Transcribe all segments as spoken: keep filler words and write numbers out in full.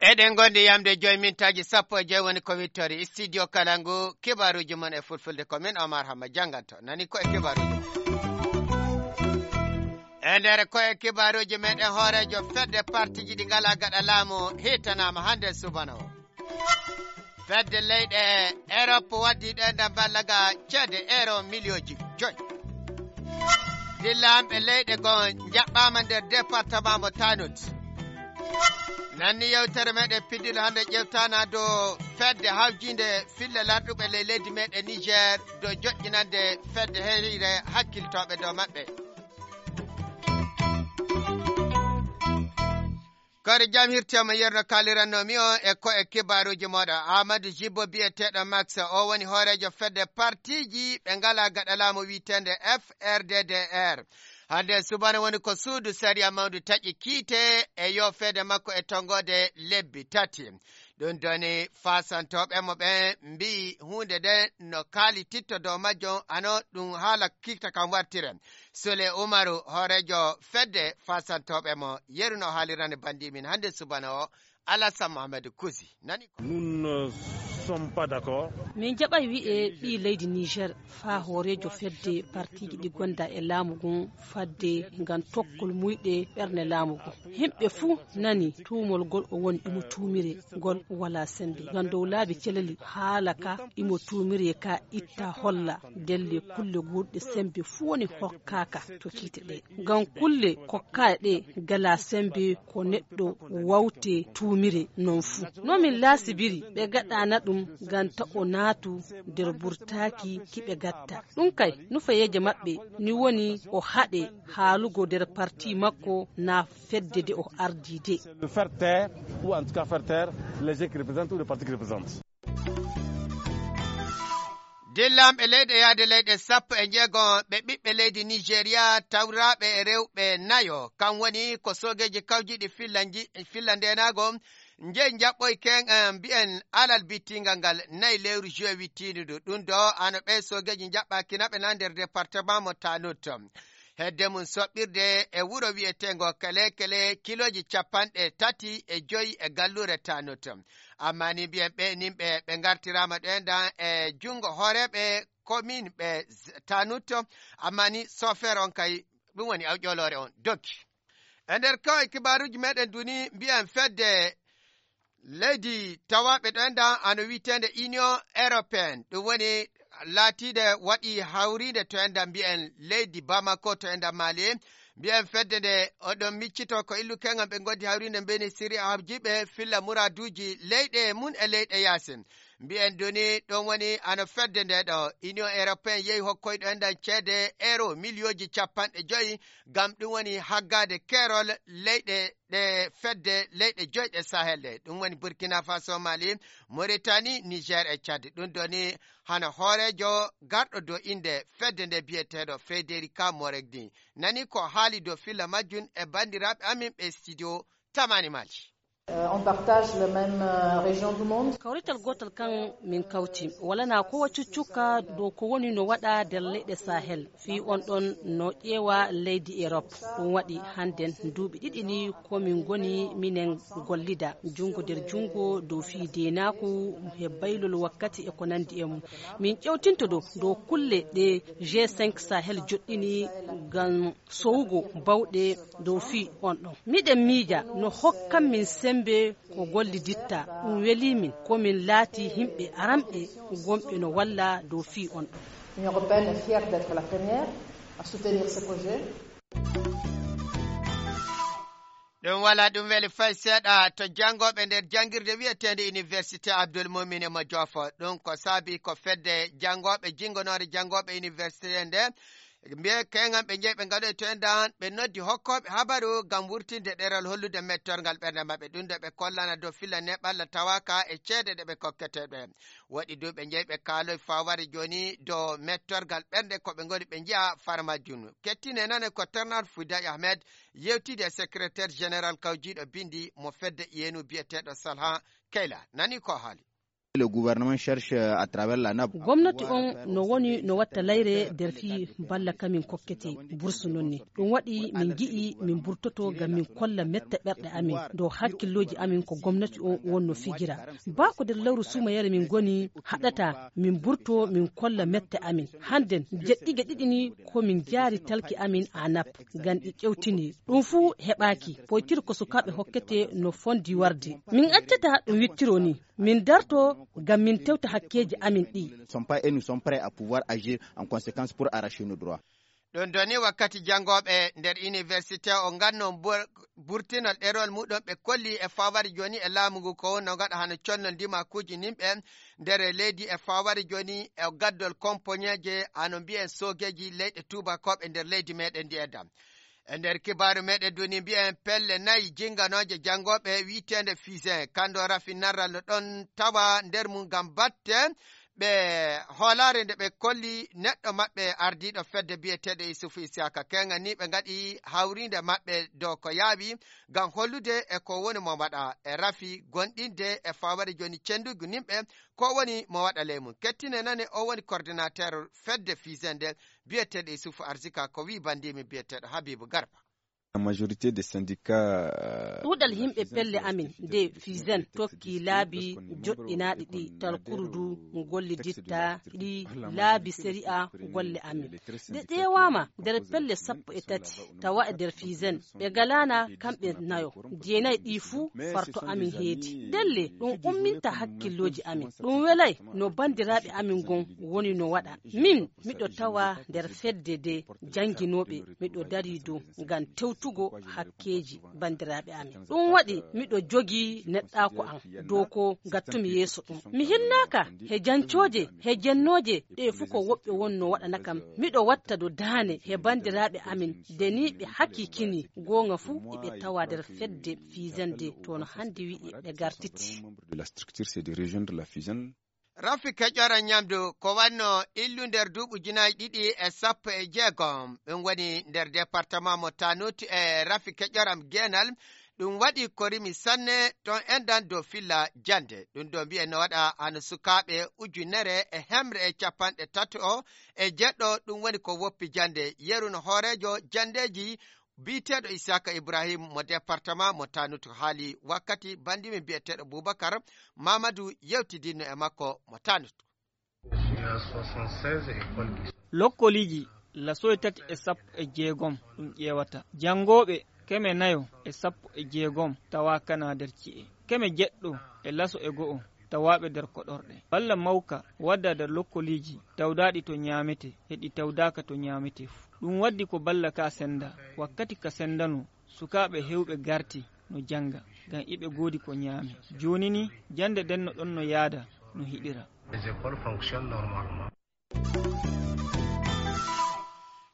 Eɗen ngondi yamde joyi mintaaji sappo e joyi woni ko wittori studio kala ngu kibaruuji mon e fulfulde ko min Omar Hamma jannganto nani ko e kibaruuji mon. E nder ko e kibaruuji meɗen hooreejo fedde partiji ɗi ngala gaɗa laamu hitanaama hannde subana o. Fedde leyɗe Erop waddi ɗo e nder ballaga ceede euro miliyonji joyi. Dillamɓe leyɗe goo njaɓɓaama nder département mo Tanut. Nanni yewtere meɗen piddilo hannde ƴewtana dow fedde hawjinde filla larɗuɓe ley leydi meɗen Niger dow joƴƴinande fedde heyre hakkiltooɓe dow maɓɓe. Kadi jam hirtema yerno kalirannomi o e ko e kibaruji moɗo Amadou Jibbo biyeteɗo Max o woni hoorejo fedde partiji ɓe ngala gaɗa laamu witende F R D D R. Hannde subana woni ko suudu sariya mawndu taƴi kiite e yofeede makko e tonngode lebbi tati. Ɗum doni fasantoɓe mo ɓe mbiyi huunde nde no kaali titto dow majjo hano ɗum haala kikta kam wartire. Sule Umaru hoorejo fedde fasantoɓe mo yeru no haalirani bandi min hannde subana o. Alasan Mohamed Kusi nani ko. Nous ne sommes pas d'accord. Min jaɓay wi'e ɓii leydi Niger faa hooreejo fedde partiiji ɗi gonda e laamu ngun fadde ngam tokkol muyɗe ɓernde laamu ngun. Yimɓe fuu nani tuumol ngol o woni imo tuumire ngol walaa semmbe. Ngam dow laabi celali haala ka imo tuumire ka itta holla ndelle kulle guurɗe semmbe fuu woni hokkaaka to kiite ɗe. Ngam kulle kokkaaɗe ɗe ngalaa semmbe ko neɗɗo wawte tuumire non fuu. No min laasibiri ɓe gaɗaana ɗum ngam ta o naatu nder burtaaki ki ɓe gatta. Ɗum kay, nufayeeje maɓɓe ni woni o haɗe haalugo nder parti makko naa fedde de o ardi de. Le faire taire, ou en tout cas faire taire les gens qui représentent ou les partis qui représentent. Dillanɓe leyɗe yaade leyɗe sappo e jeego ɓe ɓiɓɓe leydi Nigeria tawraaɓe e rewɓe nayo, kam woni ko soogeeji kawjiiɗi filla nji-, filla ndeenaago, njeyi njaɓɓoy ken, eh, mbiyen alal bittingal ngal nayi lewru juin wittiindu ndu. Ɗum ɗo ano ɓe soogeeji njaɓɓaaki na ɓe na nder département mo Tanut. Hedde mum soɓɓirde e wuro wiyeteengo Kele Kele kilooji capanɗe tati e joyi e galluure Tanut. Amma ni mbiyen ɓe nin ɓe, ɓe ngartiraama ɗen ɗan e junngo hooreeɓe commune ɓe z-, Tanut. Amma ni sofeer on kay ɗum woni awƴooloore on doggi. E nder kawai kibaaruuji meɗen duni mbiyen fedde leydi tawaaɓe ɗo enɗan ano wiyeteende Union Européenne. Ɗum woni laatiinde waɗi hawriinde to enɗan mbiyen leydi Bamako to enɗan Mali. Mbiyen fedde nde oɗon miccito ko illukengal ɓe ngondi hawriinde mbeni siri habjiɓe filla muraaduuji leyɗe mum e leyɗe yaasin. Mbiyen duni ɗum woni ano fedde nde ɗo Union Européenne yehi hokkoyɗo enɗan ceede euro miliyooji capanɗe joyi ngam ɗum woni haggaade keerol leyɗe ɗe fedde leyɗe joyi ɗe Sahel ɗe. Ɗum woni Burkina Faso, Mali, Mauritanie, Niger e Tchad. Ɗum ɗo ni hano hooreejo garɗo dow innde fedde nde biyeteeɗo Federica Moregni. Nani ko haali dow filla majjum e banndiraaɓe amin ɓe studio Tamani Mali. Euh, on partage la même, euh, région du monde. Kawrital gootal kan min kawti. Walanaa ko wa cuccukka dow ko woni no waɗa nder leyɗe Sahel. Fii on ɗon no ƴeewa leydi Erop. Ɗum waɗi hannden duuɓi ɗiɗi ni ko min ngoni minen gollida junngo nder junngo dow fii deenaaku he baylol wakkati e ko nanndi e mum. Min ƴewtinto dow, dow kulle ɗe G cinq Sahel joɗɗini ngam sowugo bawɗe dow fii on ɗon. Miɗen miija no hokkan min semmbe ko golliditta, ɗum welii min, ko min laatii yimɓe aranɓe gonɓe no walla dow fii on ɗon. L'Union européenne est fière d'être la première à soutenir ce projet. Ɗum wala ɗum weli fay seeɗa to janngooɓe nder janngirde wiyeteende Université Abdoul Moumin e mo Joofo. Ɗum ko saabi ko fedde janngooɓe jinngonoore janngooɓe université nde mbiye keŋan ɓe njeyi ɓe ngaɗoy to enɗan ɓe noddi hokkooɓe habaru ngam wurtinde ɗeral hollude mettorgal ɓernde maɓɓe. Ɗum ɗo ɓe kollana dow filla neɓalla tawaka e ceede ɗe ɓe kokkete ɓe. Waɗi duuɓi njeyi ɓe kaaloy faware jooni dow mettorgal ɓernde ko ɓe ngoni ɓe njiya far majjum. Kettine nane ko Ternal Fouday Ahmed yewtidi e secrétaire général kawjiiɗo bindi mo fedde iyenu biyeteeɗo Salha Keyla. Nani ko haali. Le gouvernement cherche, euh, à travers la nap. Gomnati on no woni no watta layre nder fii balla ka min kokkete bursu non ni. Ɗum waɗi min ngi'i min burtoto ngam min kolla mette ɓerɗe amin dow hakkillooji amin ko gomnati on wonno fijira. Baa ko nder lewru suumayere min ngoni haɗata min burto min kolla mette amin. Hannden jeɗɗige ɗiɗi ni ko min jaari talki amin a nap ngam ɗi ƴewtini. Ɗum fuu heɓaaki. Poytir ko sukaaɓe hokkete no fondi warde. Min accata ɗum wittiro ni. Min darto ngam min tewta hakkeeji amin ɗi. Sont pas et nous sommes prêts à pouvoir agir en conséquence pour arracher nos droits. Ɗum doni wakkati janngooɓe nder université o nganno bur-, burtinol ɗerol muɗum ɓe kolli e fawari jooni e laamu ngu ko wonno ngaɗa hano connol ndimakuuji nimɓe nder leydi e fawari jooni e gaddol kompoñeeje hano mbiyen soogeeji leyɗe tuubakooɓe nder leydi meɗen ndi e dam. E nder kibaaru meɗen duni mbiyen pelle nayi jinnganooje janngooɓe wi'eteende Fizen, kando rafi narral no ɗon tawa nder mum ngam batte ɓe hoolaare nde ɓe kolli neɗɗo maɓɓe ardiiɗo fedde biyeteeɗo Isufu Isiyaka. Keŋa ni ɓe ngaɗi hawriinde maɓɓe dow ko yaawi ngam hollude e ko woni mo waɗa e rafi gonɗinde e fawari jooni cenndugu nimɓe ko woni mo waɗa ley mum. Kettine nane o woni coordinateur fedde Fizen nde biyeteeɗo Isufu Arzika ko wi'i bandiimi biyeteeɗo Habibu Garba. La majorité des syndicats, euh, ɗuuɗal yimɓe pelle amin nde Fizen tokki laabi joɗɗinaaɗi ɗi talkurudu golliditta ɗi laabi sariya golle amin. Nde ƴeewaama nder pelle sappo e tati tawa e nder Fizen ɓe ngalaana kamɓe nayo. Jeenayi ɗi fuu farto amin heedi. Ndelle ɗum umminta hakkillooji amin. Ɗum welay no banndiraaɓe amin ngon woni no waɗa. Min miɗo tawa nder fedde de jannginooɓe, miɗo darii dow ngam tewtugo hakkeeji banndiraaɓe amin. Ɗum waɗi miɗo jogii neɗɗaaku am dow ko ngattumi yeeso ɗum. Mi hinnaaka he jancooje, he jennooje, ɗe fuu ko woɓɓe wonno waɗana kam. Miɗo watta dow daane he banndiraaɓe amin, de ni ɓe hakiikini goonga fuu iɓe tawa nder fedde Fizen de, to no hannde wi'i ɓe gartiti. De la structure, c'est de rejoindre la Fizen. Rafi keƴoram ñamdu ko wanno illu nder duuɓi ujunaaji ɗiɗi e sappo e jeegom. Ɗum woni nder département mo Tanut e rafi keƴoram geenal. Ɗum waɗi ko rimi sanne ton enɗan dow filla jannde. Ɗum ɗo mbiyen no waɗa hano sukaaɓe ujunere e hemre e capanɗe tato e jeɗɗo. Ɗum woni ko woppi jannde. Yeru no hooreejo janndeeji biyeteeɗo Isaka Ibrahim mo département mo Tanut haali wakkati bandimen biyeteeɗo Bubakar Mamadou yewtidinno e makko mo Tanut. Lokkoliiji laso e tati e sappo e jeegom ɗum ƴeewata. Janngooɓe keme nayo e sappo e jeegom tawa kana nder ci'e. Keme jeɗɗo e laso e go'o tawaaɓe nder koɗorɗe. Balla mawka wadda nder lokkoliiji tawdaaɗi to ñaamete e ɗi tawdaaka to ñaamete fuu. Ɗum waddi ko balla ka senda. Wakkati ka sendano, sukaaɓe heewɓe garti no jannga, ngam iɓe goodi ko ñaame. Jooni ni, jannde ɗen no ɗon no yaada no hiɗira. Les écoles fonctionnent normalement.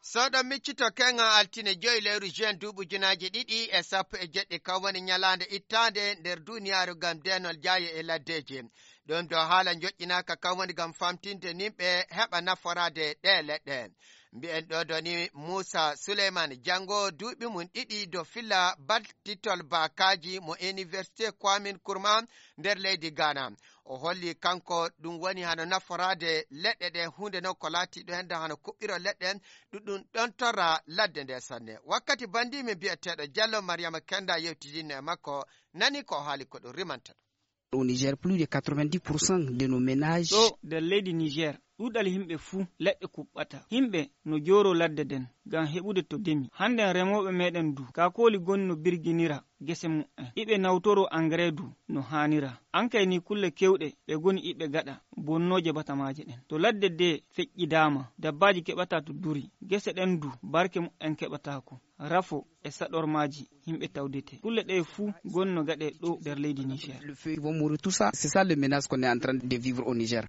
So ɗon miccito keŋa altine joyi lewru juin duuɓi ujunaaji ɗiɗi e sappo e jeɗɗi, kan woni ñalaande ittaande nder duniyaaru ngam deenol jaayo e laddeeji. Ɗum ɗo haala njoƴƴinaaka kan woni ngam famtinde nimɓe heɓa naforaade ɗee leɗɗe. Mbiyen ɗo doni Muusa Suleyman, janngo duuɓi mum ɗiɗi dow filla battitol baakaaji mo Université Kwame Nkrumah nder leydi Ghana. O holli kanko ɗum woni hano naforaade leɗɗe ɗe, huunde noon ko laatiiɗo hende hano kuɓɓirol leɗɗe, ɗum ɗum ɗon torra ladde nde sanne. Wakkati bandiimi biyeteeɗo Jallo Mariama Kenda yewtidinno e makko, nani ko o haali ko ɗum rimanta ɗum. Au Niger, plus de quatre-vingt-dix pour cent de nos ménages. Ɗo nder leydi Niger, ɗuuɗal yimɓe fuu leɗɗe kuɓɓata. Yimɓe no jooro ladde nden ngam heɓude to demi. Hannden remooɓe meɗen du, kaakooli goni no birginira gese mu'en. Iɓe nawtoro engrais du no haanira. Ankay ni kulle kewɗe ɓe goni iɓe gaɗa bonnooje batamaaje ɗen. To ladde de feƴƴidaama, dabbaaji keɓata to duri. Gese ɗen du barke mu'en keɓataako. Rafo e saɗormaaji yimɓe tawdete. Kulle ɗe fuu goni no gaɗe ɗo nder leydi Niger. Le feu, ils vont mourir, tout ça. C'est ça le menace qu'on est en train de vivre au Niger.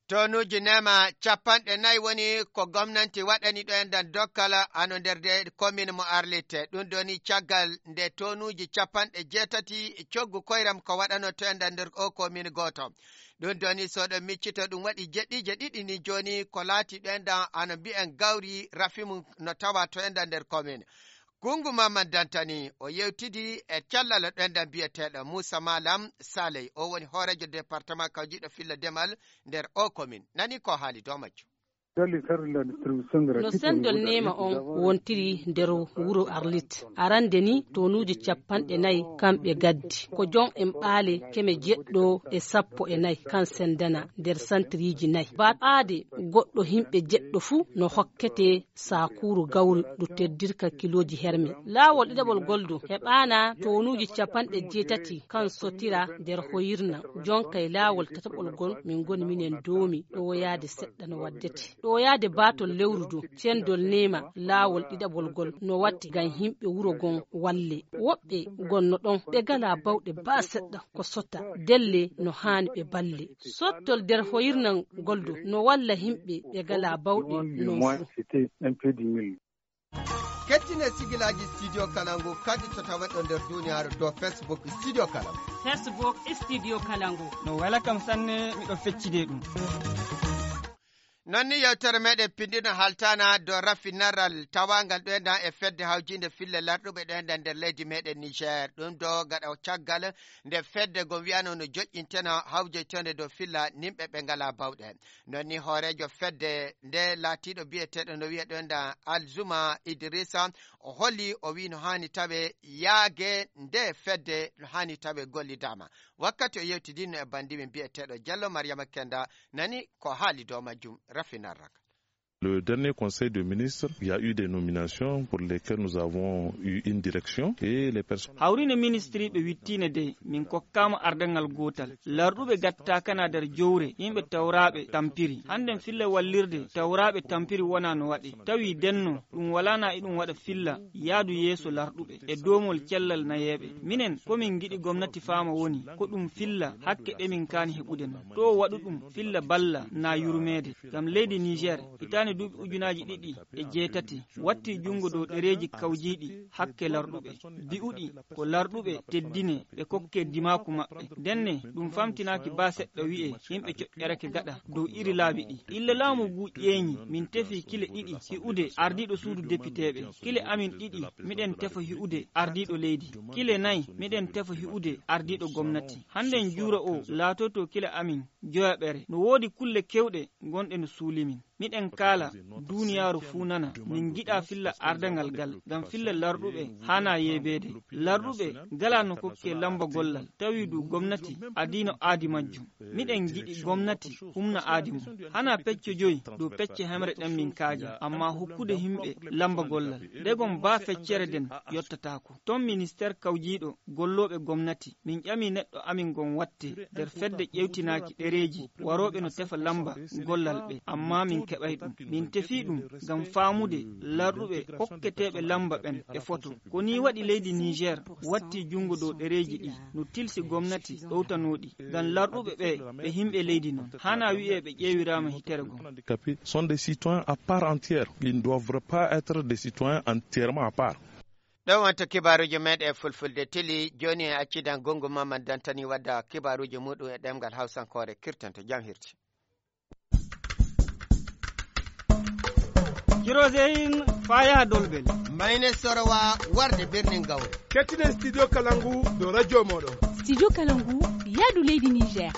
Tonuuji neema capanɗe nayi woni ko gomnanti waɗani ɗo e nder dokkal hano nder de commune mo Arlit. Ɗum ɗo ni caggal nde tonuuji capanɗe jeetati coggu koyram ko waɗano to e nder o commune gooto. Ɗum ɗo ni so ɗo miccito ɗum waɗi jeɗɗiije ɗiɗi ni jooni ko laati ɗo e nder hano mbiyen gawri rafi mum no tawa to e nder commune. Gungu Maman Dantani, o yewtidi e cellal ɗenɗan biyeteeɗo Muusa Malam Saley, o woni hooreejo departement kawjiiɗo filla demal nder o komin. Nani ko haali dow majjum. No sendol neema on wontiri nder wuro Arlit. Arande ni tonuuji capanɗe nayi kamɓe gaddi. Ko jon en ɓaale keme jeɗɗo e sappo e nayi kan sendana nder santriiji nayi. Ba aade goɗɗo himɓe jeɗɗo fuu no hokkete sakuuru gawri ndu teddirka kilooji herme. Laawol ɗiɗaɓol gol du heɓaana tonuuji capanɗe jeetati kan sotira nder hoyirna. Jonkay laawol tataɓol gol min ngoni minen doomi ɗowoyaade seɗɗa no waddete. Ɗowoyaade baatol lewru du, cendol neema laawol ɗiɗaɓol gol no watti ngam himɓe wuro gon walle. Woɓɓe gonno ɗon ɓe galaa bawɗe baa seɗɗa ko sota delle no haani ɓe balle. Sottol nder hoyirna ngol du no walla himɓe ɓe galaa bawɗe non fuu. Kettine sigilaaji Studio Kalangu kadi so taweɗo nder duniyaaru dow Facebook Studio Kalangu. Facebook Studio Kalangu. No wela kam sanne, miɗo feccide ɗum. Non ni yewtere meɗen pindino haltana dow raffinaral tawangal ɗoyɗan e fedde hawjinde fille larɗuɓe ɗoyɗan nder leydi meɗen Niger. Ɗum ɗo gaɗa caggal nde fedde go wiyano no joƴƴinteno hawjeytende dow filla nimɓe ɓe ngala bawɗe. Non ni hooreejo fedde nde laatiiɗo biyeteeɗo no wiyeɗon da Alzuma Idrissa, o holi, o wi no haani tawe yaage nde fedde no haani tawe gollidaama. Wakkati o yewtidinno e banndi min biyeteeɗo Jallo Mariama Kenda, nani ko haali dow majjum rafinar rak. Le dernier conseil de ministres, il y a eu des nominations pour lesquelles nous avons eu une direction et les personnes. Hawrine ministriiɓe wittiine de, min kokkaama ardangal gootal. Larɗuɓe gattaakana nder jowre, yimɓe tawraaɓe tampiri. Hannden filla wallirde tawraaɓe tampiri wona no waɗe. Tawi denno, ɗum walaana e ɗum waɗa filla, yaadu yeeso larɗuɓe e doomol cellal nayeeɓe. Minen, ko min ngiɗi gomnati faama woni, ko ɗum filla hakke ɗe min kaani heɓude non. To waɗu ɗum filla balla na yurmeede. Ngam leydi Niger, hitaande duuɓi ujunaaji ɗiɗi e jeetati, watti junngo dow ɗereeji kawjiiɗi hakke larɗuɓe, bi'uɗi ko larɗuɓe teddine ɓe kokke dimaaku maɓɓe. Ndenne, ɗum famtinaaki baa seɗɗa wi'e yimɓe coƴƴerake gaɗa dow iri laabi ɗi. Illa laamu ngu ƴeeñi, min tefi kile ɗiɗi hi'ude ardiiɗo suudu depiteeɓe. Kile amin ɗiɗi, miɗen tefa hi'ude ardiiɗo leydi. Kile nayi, miɗen tefa hi'ude ardiiɗo gomnati. Hannden juura o laatoto kile amin joyaɓere. No woodi kulle kewɗe gonɗe no suuli min. Miɗen kaala, duuniyaaru fuu nana, min ngiɗaa filla ardangal gal, ngam filla larɗuɓe haanaa yeebeede. Larɗuɓe ngalaa no kokkee lamba gollal, tawi du gomnati adii no aadi majjum. Miɗen ngiɗi gomnati humna aadi mum. Hanaa pecce joyi dow pecce hemre ɗen min kaaja, ammaa hokkude himɓe lamba gollal. Ndegom baa feccere nden yottataako. Ton ministeer kawjiiɗo gollooɓe gomnati, min ƴami neɗɗo amin ngon watte nder fedde ƴewtinaaki ɗereeji warooɓe no tefa lamba gollal ɓe, ammaa min keɓay ɗum. Min tefii ɗum ngam faamude larɗuɓe hokketeeɓe lamba ɓen e foto. Ko nii waɗi leydi Niger watti junngo dow ɗereeji ɗi, no tilsi gomnati ɗowtanooɗi. Ngam larɗuɓe ɓe, ɓe himɓe leydi non. Hanaa wi'ee ɓe ƴeewiraama hitere goo. Handicapés sont des citoyens à part entière. Ils ne doivent pas être des citoyens entièrement à part. Ɗon wonto kibaaruuji meeɗen e fulfulde tili. Jooni en accidan gongo Maman Dantani wadda kibaaruuji muuɗum e ɗemngal Hawsankoore kirtanto jam hirti. Kiroseyin faa yaha Dolbel. Mayne Sorowa warde birnin Gawre. Kettinen Studio Kalangu dow radio mooɗon. Studio Kalangu yaadu leydi Niger.